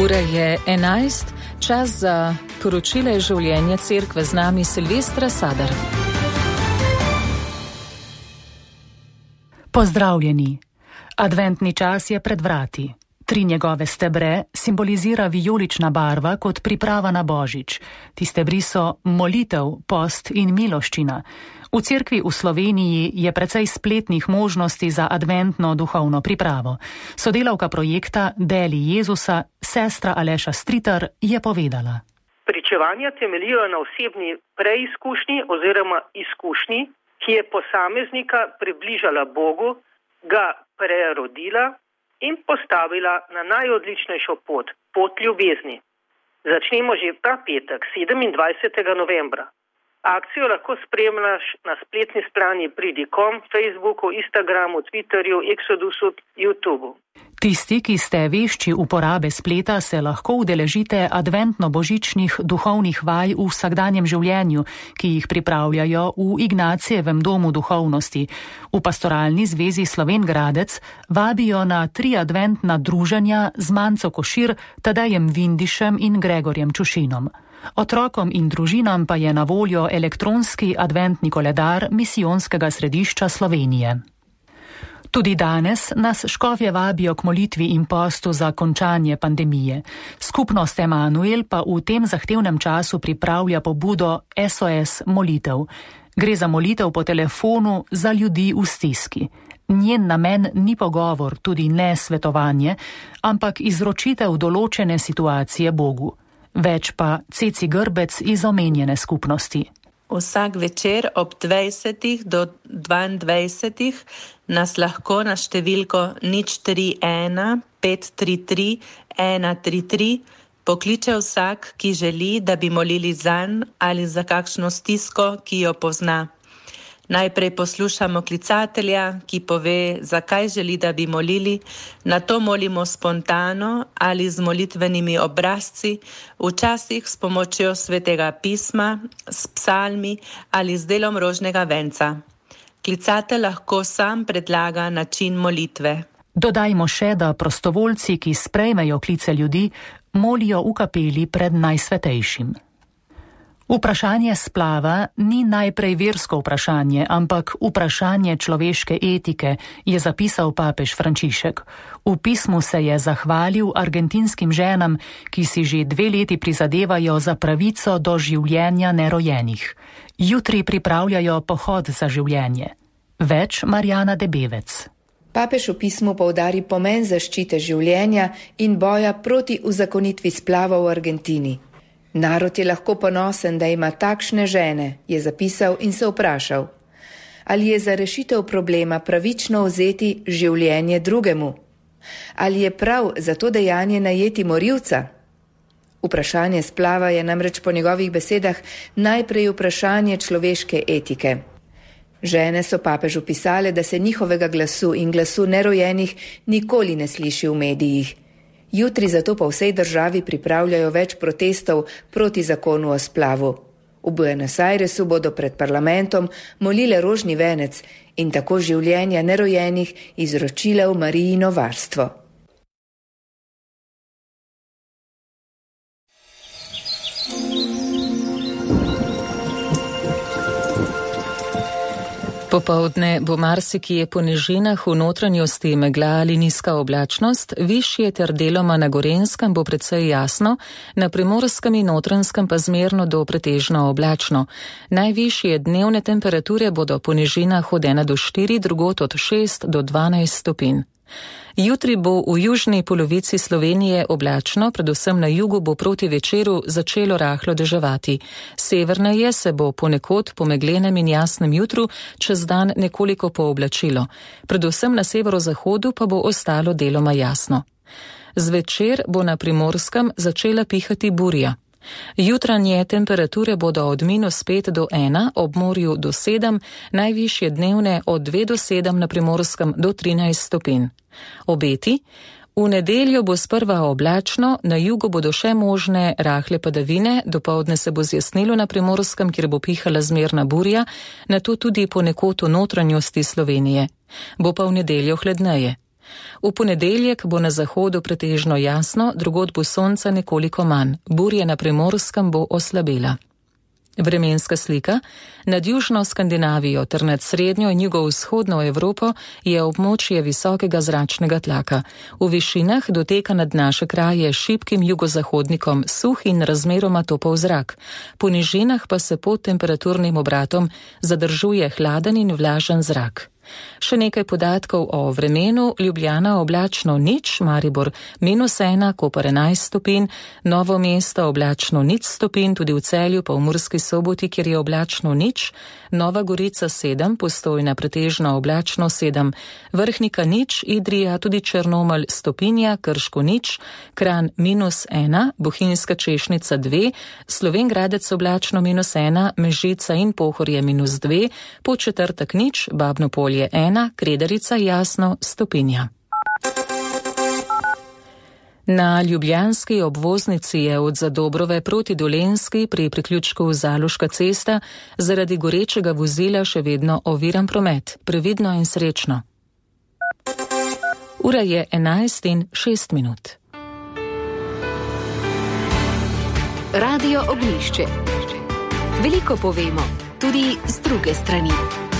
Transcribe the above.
Ura je 11, čas za poročile življenja cerkve, z nami Silvestra Sadar. Pozdravljeni. Adventni čas je pred vrati. 3 njegove stebre simbolizira vijolična barva kot priprava na Božič. Ti stebri so molitev, post in miloščina. V cerkvi v Sloveniji je precej spletnih možnosti za adventno duhovno pripravo. Sodelavka projekta Deli Jezusa, sestra Aleša Stritar, je povedala. Pričevanja temeljijo na osebni preizkušnji oziroma izkušnji, ki je posameznika približala Bogu, ga prerodila in postavila na najodličnejšo pot ljubezni. Začnemo že ta petek, 27. novembra. Akcijo lahko spremljaš na spletni strani Pridi.com, Facebooku, Instagramu, Twitterju, Exodusu, YouTubu. Tisti, ki ste vešči uporabe spleta, se lahko udeležite adventno-božičnih duhovnih vaj v vsakdanjem življenju, ki jih pripravljajo v Ignacijevem domu duhovnosti. V Pastoralni zvezi Sloven Gradec vabijo na 3 adventna druženja z Manco Košir, Tadejem Vindišem in Gregorjem Čušinom. Otrokom in družinam pa je na voljo elektronski adventni koledar Misijonskega središča Slovenije. Tudi danes nas škofje vabijo k molitvi in postu za končanje pandemije. Skupnost Emanuel pa v tem zahtevnem času pripravlja pobudo SOS molitev. Gre za molitev po telefonu za ljudi v stiski. Njen namen ni pogovor, tudi ne svetovanje, ampak izročitev določene situacije Bogu. Več pa Ceci Grbec iz omenjene skupnosti. Vsak večer ob 20 do 22 nas lahko na številko 031 533 133 pokliče vsak, ki želi, da bi molili zanj ali za kakšno stisko, ki jo pozna. Najprej poslušamo klicatelja, ki pove, zakaj želi, da bi molili, nato molimo spontano ali z molitvenimi obrazci, včasih s pomočjo svetega pisma, s psalmi ali z delom rožnega venca. Klicatelj lahko sam predlaga način molitve. Dodajmo še, da prostovoljci, ki sprejmejo klice ljudi, molijo v kapeli pred najsvetejšim. Vprašanje splava ni najprej versko vprašanje, ampak vprašanje človeške etike, je zapisal papež Frančišek. V pismu se je zahvalil argentinskim ženam, ki si že 2 leti prizadevajo za pravico do življenja nerojenih. Jutri pripravljajo pohod za življenje. Več Marjana Debevec. Papež v pismu poudari pomen zaščite življenja in boja proti uzakonitvi splava v Argentini. Narod je lahko ponosen, da ima takšne žene, je zapisal in se vprašal, ali je za rešitev problema pravično vzeti življenje drugemu? Ali je prav za to dejanje najeti morilca? Vprašanje splava je namreč po njegovih besedah najprej vprašanje človeške etike. Žene so papežu pisale, da se njihovega glasu in glasu nerojenih nikoli ne sliši v medijih. Jutri zato po vsej državi pripravljajo več protestov proti zakonu o splavu. V Buenos Airesu bodo pred parlamentom molile rožni venec in tako življenja nerojenih izročile v Marijino varstvo. Popoldne bo marsikje po nižinah v notranjosti megla ali nizka oblačnost, višje ter deloma na Gorenjskem bo precej jasno, na Primorskem in Notranjskem pa zmerno do pretežno oblačno. Najvišje dnevne temperature bodo po nižinah od 1 do 4, drugod od 6 do 12 stopinj. Jutri bo v južni polovici Slovenije oblačno, predvsem na jugu bo proti večeru začelo rahlo deževati. Severneje se bo ponekod po meglenem in jasnem jutru čez dan nekoliko pooblačilo. Predvsem na severozahodu pa bo ostalo deloma jasno. Zvečer bo na Primorskem začela pihati burja. Jutranje temperature bodo od -5 do 1, ob morju do 7, najvišje dnevne od 2 do 7 na Primorskem do 13 stopinj. Obeti: v nedeljo bo sprva oblačno, na jugu bodo še možne rahle padavine, dopoldne se bo zjasnilo na Primorskem, kjer bo pihala zmerna burja, nato tudi ponekod v notranjosti Slovenije. Bo pa v nedeljo hladneje. V ponedeljek bo na zahodu pretežno jasno, drugod bo sonca nekoliko manj, burja na Primorskem bo oslabela. Vremenska slika. Nad južno Skandinavijo ter nad srednjo in jugovzhodno Evropo je območje visokega zračnega tlaka. V višinah doteka nad naše kraje šibkim jugozahodnikom suh in razmeroma topel zrak. Po nižinah pa se pod temperaturnim obratom zadržuje hladen in vlažen zrak. Še nekaj podatkov o vremenu. Ljubljana oblačno nič, Maribor -1, Koper 11 stopinj, Novo mesto oblačno 0 stopinj, tudi v Celju pa v Murski Soboti, kjer je oblačno nič, Nova Gorica 7, Postojna pretežno oblačno 7, Vrhnika nič, Idrija, tudi Črnomelj stopinja, Krško nič, Kranj -1, Bohinjska Češnica 2, Slovenj Gradec oblačno -1, Mežica in Pohorje -2, Podčetrtek nič, Babno Polje 1, Kredarica jasno stopinja. Na ljubljanski obvoznici je od Zadobrove proti Dolenjski pri priključku Zaloška cesta zaradi gorečega vozila še vedno oviran promet. Previdno in srečno. Ura je 11:06. Radio Ognjišče. Veliko povemo, tudi z druge strani.